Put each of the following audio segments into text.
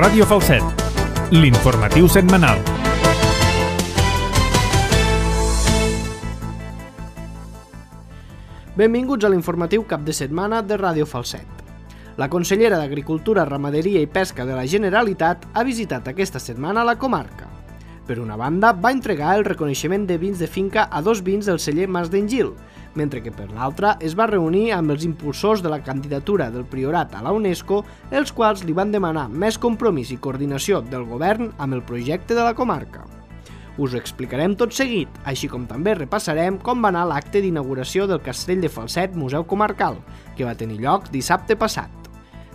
Ràdio Falset, l'informatiu setmanal. Benvinguts a l'informatiu cap de setmana de Ràdio Falset. La consellera d'Agricultura, Ramaderia i Pesca de la Generalitat ha visitat aquesta setmana la comarca. Per una banda, va entregar el reconeixement de vins de finca a 2 vins del celler Mas d'Engil, mentre que per l'altra es va reunir amb els impulsors de la candidatura del Priorat a la UNESCO, els quals li van demanar més compromís i coordinació del govern amb el projecte de la comarca. Us ho explicarem tot seguit, així com també repassarem com va anar l'acte d'inauguració del Castell de Falset Museu Comarcal, que va tenir lloc dissabte passat.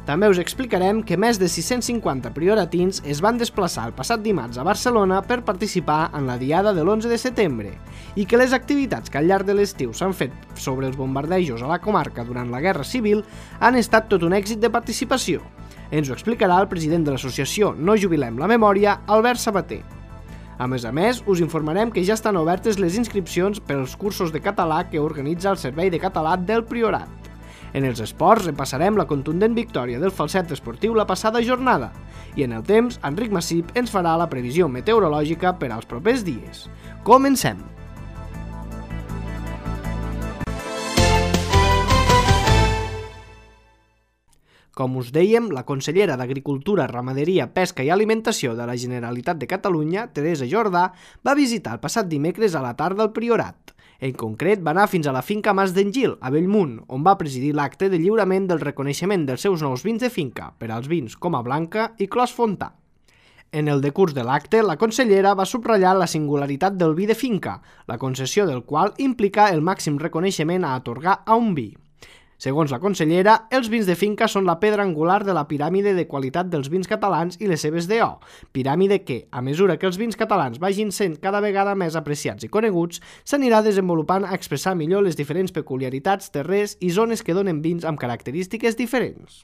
També us explicarem que més de 650 prioratins es van desplaçar el passat dimarts a Barcelona per participar en la diada de l'11 de setembre i que les activitats que al llarg de l'estiu s'han fet sobre els bombardejos a la comarca durant la Guerra Civil han estat tot un èxit de participació. Ens ho explicarà el president de l'associació No Jubilem la Memòria, Albert Sabater. A més, us informarem que ja estan obertes les inscripcions per als cursos de català que organitza el Servei de Català del Priorat. En els esports repassarem la contundent victòria del Falset Esportiu la passada jornada i en el temps, Enric Massip ens farà la previsió meteorològica per als propers dies. Comencem! Com us dèiem, la consellera d'Agricultura, Ramaderia, Pesca i Alimentació de la Generalitat de Catalunya, Teresa Jordà, va visitar el passat dimecres a la tarda el Priorat. En concret, va anar fins a la finca Mas d'Engil, a Bellmunt, on va presidir l'acte de lliurament del reconeixement dels seus nous vins de finca per als vins Coma Blanca i Clos Fontà. En el decurs de l'acte, la consellera va subratllar la singularitat del vi de finca, la concessió del qual implica el màxim reconeixement a atorgar a un vi. Segons la consellera, els vins de finca són la pedra angular de la piràmide de qualitat dels vins catalans i les seves DO, piràmide que, a mesura que els vins catalans vagin sent cada vegada més apreciats i coneguts, s'anirà desenvolupant a expressar millor les diferents peculiaritats, terrers i zones que donen vins amb característiques diferents.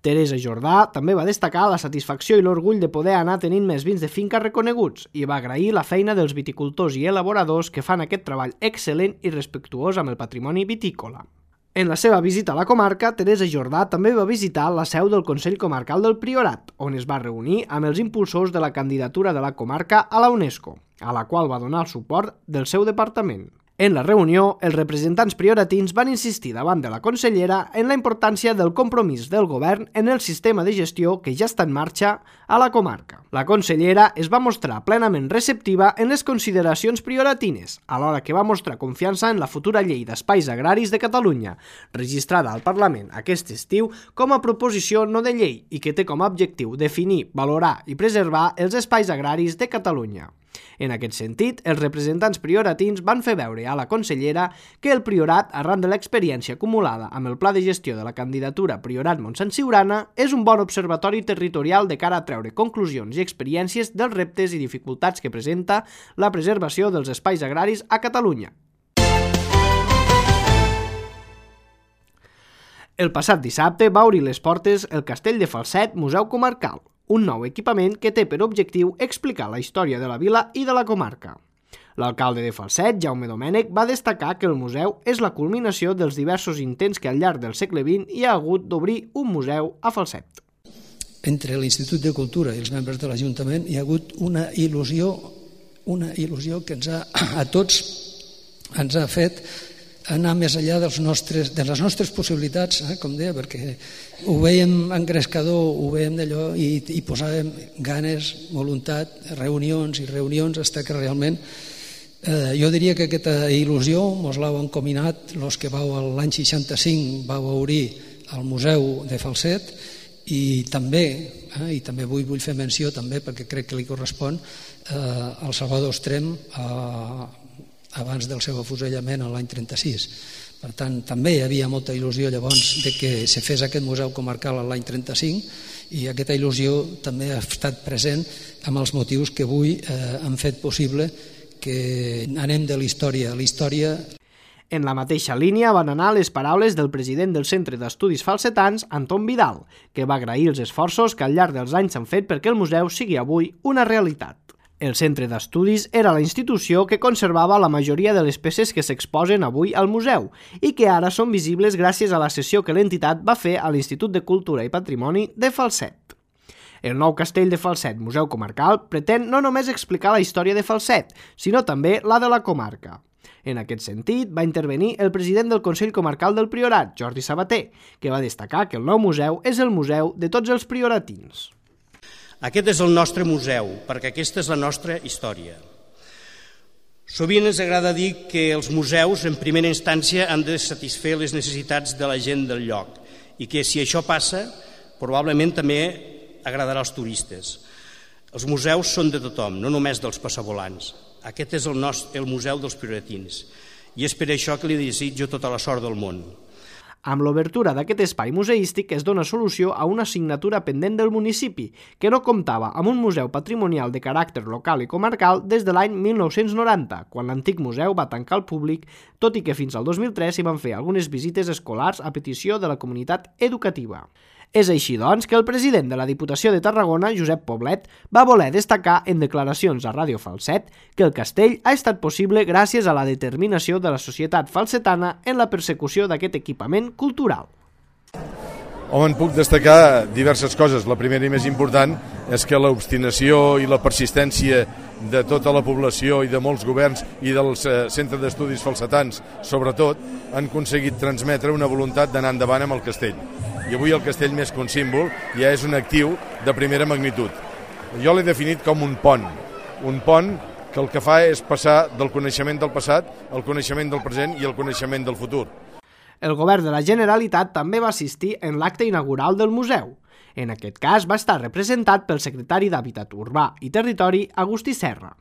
Teresa Jordà també va destacar la satisfacció i l'orgull de poder anar tenint més vins de finca reconeguts i va agrair la feina dels viticultors i elaboradors que fan aquest treball excel·lent i respectuós amb el patrimoni vitícola. En la seva visita a la comarca, Teresa Jordà també va visitar la seu del Consell Comarcal del Priorat, on es va reunir amb els impulsors de la candidatura de la comarca a la UNESCO, a la qual va donar el suport del seu departament. En la reunió, els representants prioratins van insistir davant de la consellera en la importància del compromís del govern en el sistema de gestió que ja està en marxa a la comarca. La consellera es va mostrar plenament receptiva en les consideracions prioratines, alhora que va mostrar confiança en la futura llei d'espais agraris de Catalunya, registrada al Parlament aquest estiu com a proposició no de llei i que té com a objectiu definir, valorar i preservar els espais agraris de Catalunya. En aquest sentit, els representants prioratins van fer veure a la consellera que el Priorat, arran de l'experiència acumulada amb el Pla de Gestió de la candidatura Priorat Montsant Siurana, és un bon observatori territorial de cara a treure conclusions i experiències dels reptes i dificultats que presenta la preservació dels espais agraris a Catalunya. El passat dissabte va obrir les portes el Castell de Falset Museu Comarcal, un nou equipament que té per objectiu explicar la història de la vila i de la comarca. L'alcalde de Falset, Jaume Domènech, va destacar que el museu és la culminació dels diversos intents que al llarg del segle XX hi ha hagut d'obrir un museu a Falset. Entre l'Institut de Cultura i els membres de l'Ajuntament hi ha hagut una il·lusió que a tots ens ha fet anar més enllà de les nostres possibilitats, com deia, perquè ho veiem engrescador, ho veiem d'allò i posàvem ganes, voluntat, reunions i reunions, fins que realment jo diria que aquesta il·lusió mos l'heu encominat els que l'any 65 vau obrir el Museu de Falset i també vull fer menció també perquè crec que li correspon al Salvador Estrem abans del seu afusellament l'any 36. Per tant, també hi havia molta il·lusió llavors de que se fes aquest museu comarcal l'any 35 i aquesta il·lusió també ha estat present amb els motius que avui han fet possible que anem de l'història a l'història. En la mateixa línia van anar les paraules del president del Centre d'Estudis Falsetans, Anton Vidal, que va agrair els esforços que al llarg dels anys s'han fet perquè el museu sigui avui una realitat. El centre d'estudis era la institució que conservava la majoria de les peces que s'exposen avui al museu i que ara són visibles gràcies a la cessió que l'entitat va fer a l'Institut de Cultura i Patrimoni de Falset. El nou castell de Falset, Museu Comarcal, pretén no només explicar la història de Falset, sinó també la de la comarca. En aquest sentit, va intervenir el president del Consell Comarcal del Priorat, Jordi Sabater, que va destacar que el nou museu és el museu de tots els prioratins. Aquest és el nostre museu, perquè aquesta és la nostra història. Sovint ens agrada dir que els museus, en primera instància, han de satisfer les necessitats de la gent del lloc i que, si això passa, probablement també agradarà als turistes. Els museus són de tothom, no només dels passavolants. Aquest és el museu dels prioratins i és per això que li desitjo tota la sort del món. Amb l'obertura d'aquest espai museístic es dona solució a una assignatura pendent del municipi, que no comptava amb un museu patrimonial de caràcter local i comarcal des de l'any 1990, quan l'antic museu va tancar al públic, tot i que fins al 2003 s'hi van fer algunes visites escolars a petició de la comunitat educativa. És així, doncs, que el president de la Diputació de Tarragona, Josep Poblet, va voler destacar en declaracions a Ràdio Falset que el castell ha estat possible gràcies a la determinació de la societat falsetana en la persecució d'aquest equipament cultural. Home, en puc destacar diverses coses. La primera i més important és que l'obstinació i la persistència de tota la població i de molts governs i dels centres d'estudis falsetans, sobretot, han aconseguit transmetre una voluntat d'anar endavant amb el castell. I avui el castell, més que un símbol, ja és un actiu de primera magnitud. Jo l'he definit com un pont que el que fa és passar del coneixement del passat al coneixement del present i al coneixement del futur. El govern de la Generalitat també va assistir en l'acte inaugural del museu. En aquest cas va estar representat pel secretari d'Hàbitat Urbà i Territori, Agustí Serra.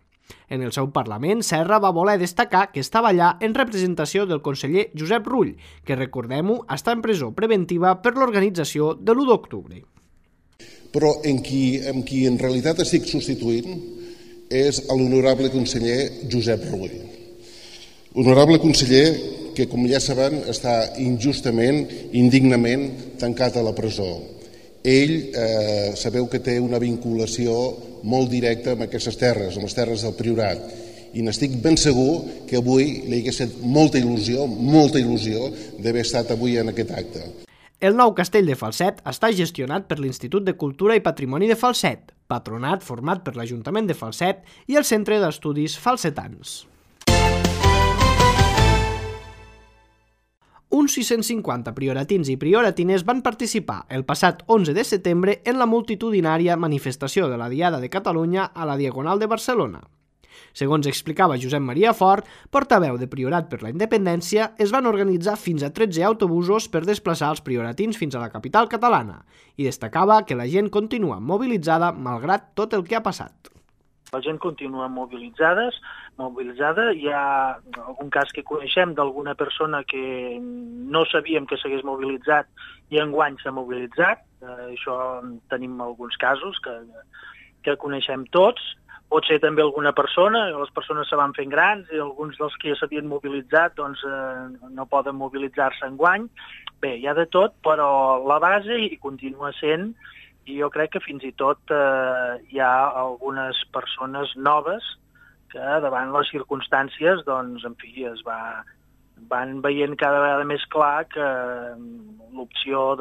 En el seu Parlament, Serra va voler destacar que estava allà en representació del conseller Josep Rull, que, recordem-ho, està en presó preventiva per l'organització de l'1 d'octubre. Però en qui en realitat estic substituint és l'honorable conseller Josep Rull. Honorable conseller que, com ja saben, està injustament, indignament tancat a la presó. Ell, sabeu que té una vinculació molt directa amb aquestes terres, amb les terres del Priorat, i n'estic ben segur que avui li hagués fet molta il·lusió d'haver estat avui en aquest acte. El nou castell de Falset està gestionat per l'Institut de Cultura i Patrimoni de Falset, patronat format per l'Ajuntament de Falset i el Centre d'Estudis Falsetans. Uns 650 prioratins i prioratines van participar el passat 11 de setembre en la multitudinària manifestació de la Diada de Catalunya a la Diagonal de Barcelona. Segons explicava Josep Maria Fort, portaveu de Priorat per la Independència, es van organitzar fins a 13 autobusos per desplaçar els prioratins fins a la capital catalana i destacava que la gent continua mobilitzada malgrat tot el que ha passat. La gent continua mobilitzada. Hi ha algun cas que coneixem d'alguna persona que no sabíem que s'hagués mobilitzat i enguany s'ha mobilitzat. Això tenim alguns casos que coneixem tots. Pot ser també alguna persona, les persones se van fent grans i alguns dels que ja s'havien mobilitzat doncs, no poden mobilitzar-se enguany. Bé, hi ha de tot, però la base hi continua sent. I jo crec que fins i tot hi ha algunes persones noves que davant les circumstàncies doncs, en fi, van veient cada vegada més clar que l'opció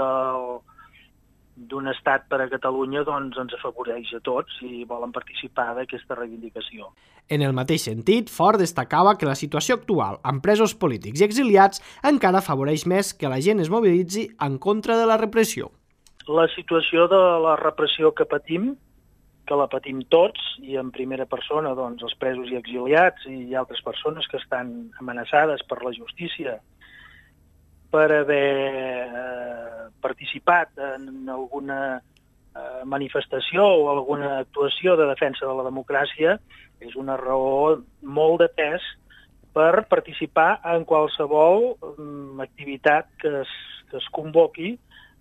d'un estat per a Catalunya doncs, ens afavoreix a tots i volen participar d'aquesta reivindicació. En el mateix sentit, Fort destacava que la situació actual amb presos polítics i exiliats encara afavoreix més que la gent es mobilitzi en contra de la repressió. La situació de la repressió que patim, que la patim tots, i en primera persona doncs, els presos i exiliats i altres persones que estan amenaçades per la justícia per haver participat en alguna manifestació o alguna actuació de defensa de la democràcia, és una raó molt de pes per participar en qualsevol activitat que es convoqui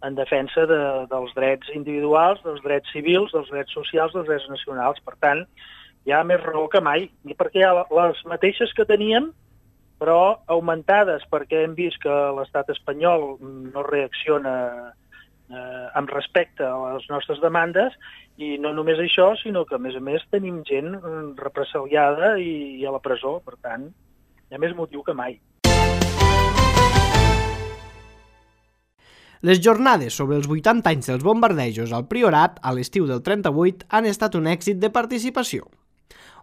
en defensa dels drets individuals, dels drets civils, dels drets socials, dels drets nacionals. Per tant, hi ha més raó que mai, i perquè hi ha les mateixes que teníem, però augmentades, perquè hem vist que l'estat espanyol no reacciona amb respecte a les nostres demandes, i no només això, sinó que, a més, tenim gent represaliada i a la presó. Per tant, hi ha més motiu que mai. Les jornades sobre els 80 anys dels bombardejos al Priorat a l'estiu del 38 han estat un èxit de participació.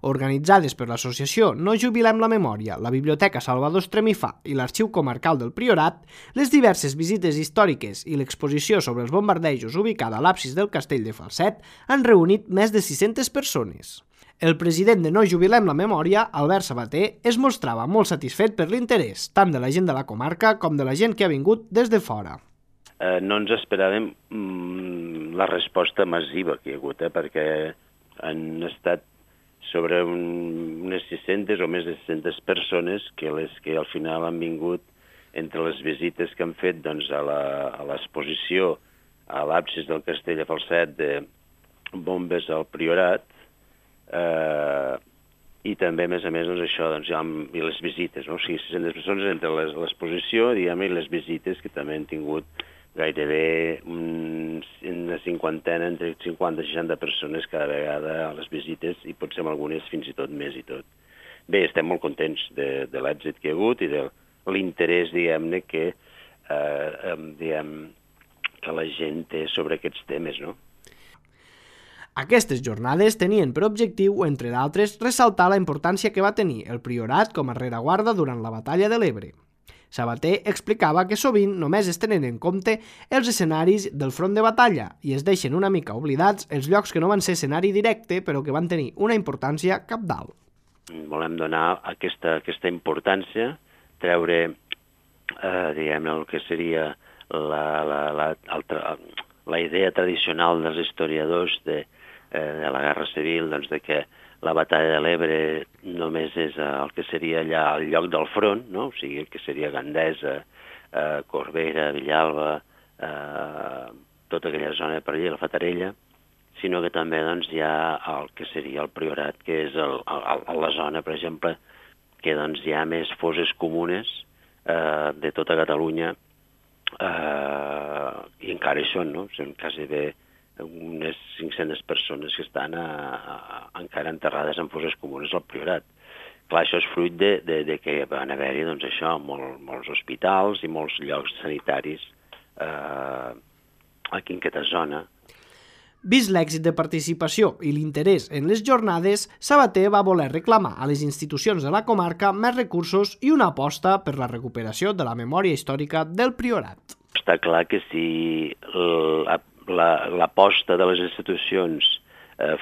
Organitzades per l'associació No Jubilem la Memòria, la Biblioteca Salvador Estremifà i l'Arxiu Comarcal del Priorat, les diverses visites històriques i l'exposició sobre els bombardejos ubicada a l'absis del castell de Falset han reunit més de 600 persones. El president de No Jubilem la Memòria, Albert Sabater, es mostrava molt satisfet per l'interès tant de la gent de la comarca com de la gent que ha vingut des de fora. No ens esperàvem la resposta massiva que hi ha hagut, perquè han estat sobre unes 600 o més de 600 persones que al final han vingut entre les visites que han fet doncs, a l'exposició a l'absis del castell de Falset de bombes al Priorat i també, a més, doncs, això, doncs, i les visites, no? O sigui, 600 persones entre l'exposició i les visites que també han tingut gairebé una cinquantena, entre 50 i 60 persones cada vegada a les visites i potser amb algunes fins i tot més i tot. Bé, estem molt contents de l'èxit que hi ha hagut i de l'interès, diguem-ne, que la gent té sobre aquests temes, no? Aquestes jornades tenien per objectiu, entre d'altres, ressaltar la importància que va tenir el Priorat com a rereguarda durant la batalla de l'Ebre. Sabater explicava que sovint només es tenen en compte els escenaris del front de batalla i es deixen una mica oblidats els llocs que no van ser escenari directe però que van tenir una importància cabdal. Volem donar aquesta importància, treure diguem, el que seria la idea tradicional dels historiadors de la Guerra Civil, doncs, de que la batalla de l'Ebre només és el que seria allà al lloc del front, no? O sigui, que seria Gandesa, Corbera, Villalba, tota aquella zona per allà, la Fatarella, sinó que també doncs, hi ha el que seria el Priorat, que és la zona, per exemple, que doncs, hi ha més fosses comunes de tota Catalunya i encara hi són, no? Són quasi bé unes 500 persones que estan encara enterrades en fosses comunes al Priorat. Clar, això és fruit de que van haver-hi, doncs això, molts hospitals i molts llocs sanitaris aquí en aquesta zona. Vist l'èxit de participació i l'interès en les jornades, Sabater va voler reclamar a les institucions de la comarca més recursos i una aposta per la recuperació de la memòria històrica del Priorat. Està clar que si l'aposta de les institucions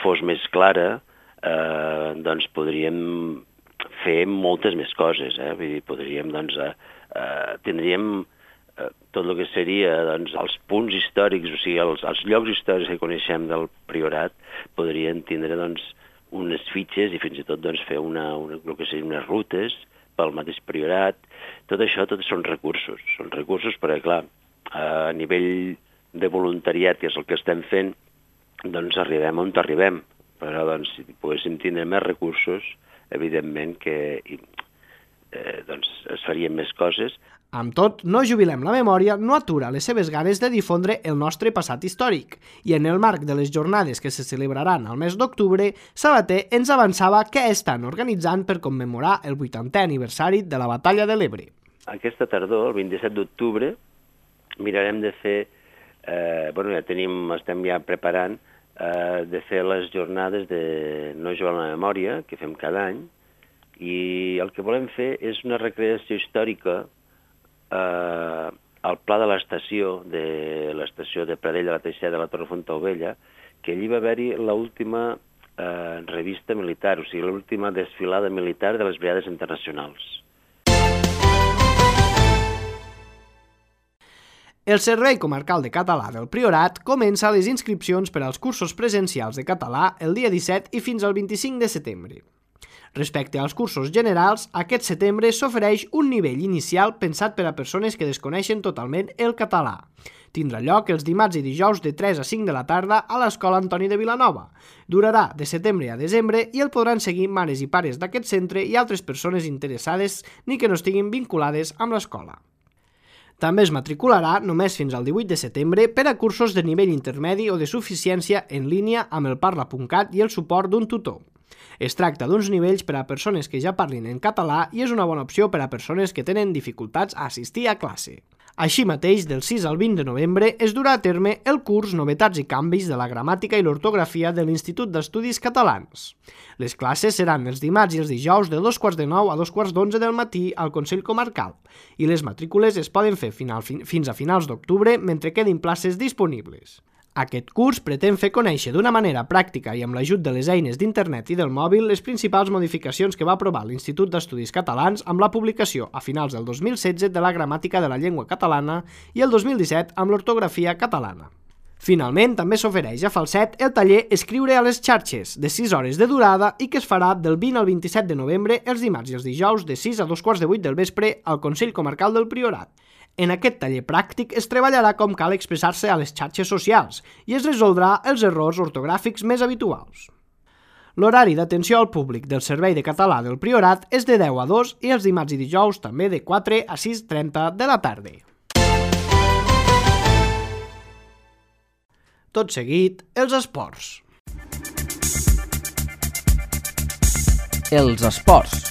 fos més clara, doncs podríem fer moltes més coses. Vull dir, podríem, doncs, tindríem tot el que seria doncs, els punts històrics, o sigui, els llocs històrics que coneixem del Priorat, podrien tindre doncs, unes fitxes i fins i tot doncs, fer el que serien unes rutes pel mateix Priorat. Tot això són recursos. Són recursos perquè, clar, a nivell de voluntariat, que és el que estem fent, doncs arribem on arribem. Però doncs, si poguéssim tindre més recursos, evidentment que doncs, es farien més coses. Amb tot, No Jubilem la Memòria no atura les seves ganes de difondre el nostre passat històric i en el marc de les jornades que se celebraran al mes d'octubre, Sabater ens avançava què estan organitzant per commemorar el 80è aniversari de la batalla de l'Ebre. Aquesta tardor, el 27 d'octubre, mirarem de fer estem ja preparant de fer les jornades de No Jubilem la Memòria, que fem cada any, i el que volem fer és una recreació històrica al pla de l'estació de Pradell de la Teixeda de la Torre Fontaubella, que allí va haver-hi l'última revista militar, o sigui, l'última desfilada militar de les Brigades Internacionals. El Servei Comarcal de Català del Priorat comença les inscripcions per als cursos presencials de català el dia 17 i fins al 25 de setembre. Respecte als cursos generals, aquest setembre s'ofereix un nivell inicial pensat per a persones que desconeixen totalment el català. Tindrà lloc els dimarts i dijous de 3 a 5 de la tarda a l'Escola Antoni de Vilanova. Durarà de setembre a desembre i el podran seguir mares i pares d'aquest centre i altres persones interessades ni que no estiguin vinculades amb l'escola. També es matricularà només fins al 18 de setembre per a cursos de nivell intermedi o de suficiència en línia amb el Parla.cat i el suport d'un tutor. Es tracta d'uns nivells per a persones que ja parlin en català i és una bona opció per a persones que tenen dificultats a assistir a classe. Així mateix, del 6 al 20 de novembre es durà a terme el curs Novetats i canvis de la gramàtica i l'ortografia de l'Institut d'Estudis Catalans. Les classes seran els dimarts i els dijous de 2:45 a 2:11 del matí al Consell Comarcal i les matrícules es poden fer fins a finals d'octubre mentre quedin places disponibles. Aquest curs pretén fer conèixer d'una manera pràctica i amb l'ajut de les eines d'internet i del mòbil les principals modificacions que va aprovar l'Institut d'Estudis Catalans amb la publicació a finals del 2016 de la gramàtica de la llengua catalana i el 2017 amb l'ortografia catalana. Finalment, també s'ofereix a Falset el taller Escriure a les xarxes, de 6 hores de durada i que es farà del 20 al 27 de novembre els dimarts i els dijous de 6 a 2:15 del vespre al Consell Comarcal del Priorat. En aquest taller pràctic es treballarà com cal expressar-se a les xarxes socials i es resoldrà els errors ortogràfics més habituals. L'horari d'atenció al públic del Servei de Català del Priorat és de 10 a 2 i els dimarts i dijous també de 4 a 6:30 de la tarda. Tot seguit, els esports. Els esports.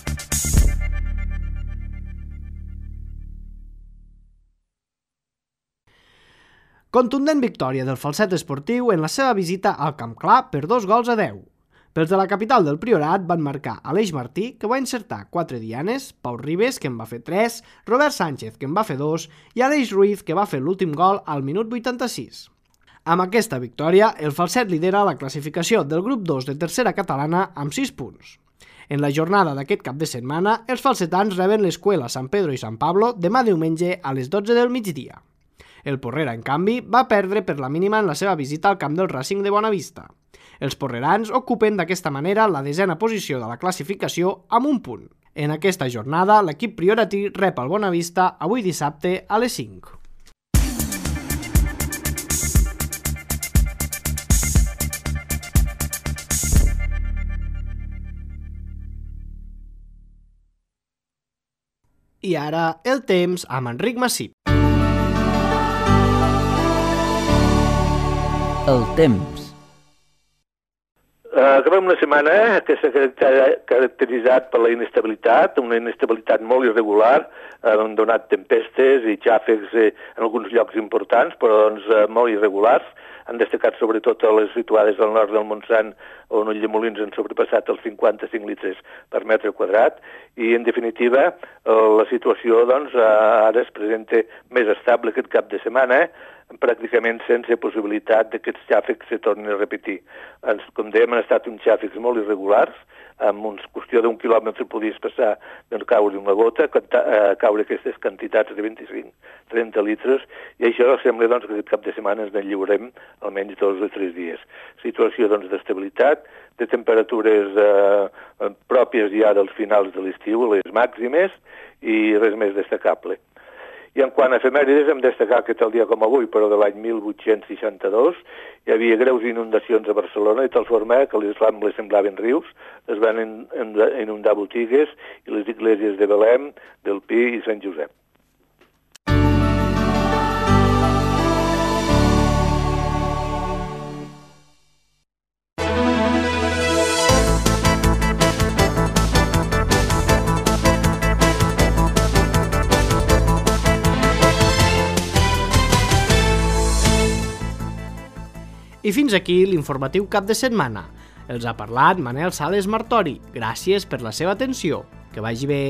Contundent victòria del Falset Esportiu en la seva visita al Camp Clar per 2-10. Pels de la capital del Priorat van marcar Aleix Martí, que va encertar 4 dianes, Pau Ribes, que en va fer 3, Robert Sánchez, que en va fer 2, i Aleix Ruiz, que va fer l'últim gol al minut 86. Amb aquesta victòria, el Falset lidera la classificació del grup 2 de tercera catalana amb 6 punts. En la jornada d'aquest cap de setmana, els falsetans reben l'Escuela Sant Pedro i Sant Pablo demà diumenge a les 12 del migdia. El Porrera, en canvi, va perdre per la mínima en la seva visita al camp del Racing de Bonavista. Els porrerans ocupen d'aquesta manera la 10a posició de la classificació amb 1 punt. En aquesta jornada, l'equip prioratí rep el Bonavista avui dissabte a les 5. I ara, el temps amb Enric Massip. El temps. Acabem una setmana que s'ha caracteritzat per la inestabilitat, una inestabilitat molt irregular, han donat tempestes i xàfecs en alguns llocs importants, però molt irregulars. Han destacat sobretot a les situades al nord del Montsant, on Ulldemolins han sobrepassat els 55 litres per metre quadrat, i en definitiva la situació ara es presenta més estable aquest cap de setmana, pràcticament sense possibilitat que aquests xàfecs se tornin a repetir. Com dèiem, han estat uns xàfecs molt irregulars, amb una qüestió d'1 quilòmetre podies passar caure una gota, caure aquestes quantitats de 25-30 litres, i això sembla que aquest cap de setmana ens en lliurem almenys 2 o 3 dies. Situació d'estabilitat, de temperatures pròpies ja dels finals de l'estiu, les màximes, i res més destacable. I en quant a efemèrides, hem destacat que tal dia com avui, però de l'any 1862, hi havia greus inundacions a Barcelona, de tal forma que les Rambles semblaven rius, es van inundar botigues i les esglésies de Belém, del Pi i Sant Josep. I fins aquí l'informatiu cap de setmana. Els ha parlat Manel Sales Martori. Gràcies per la seva atenció. Que vagi bé.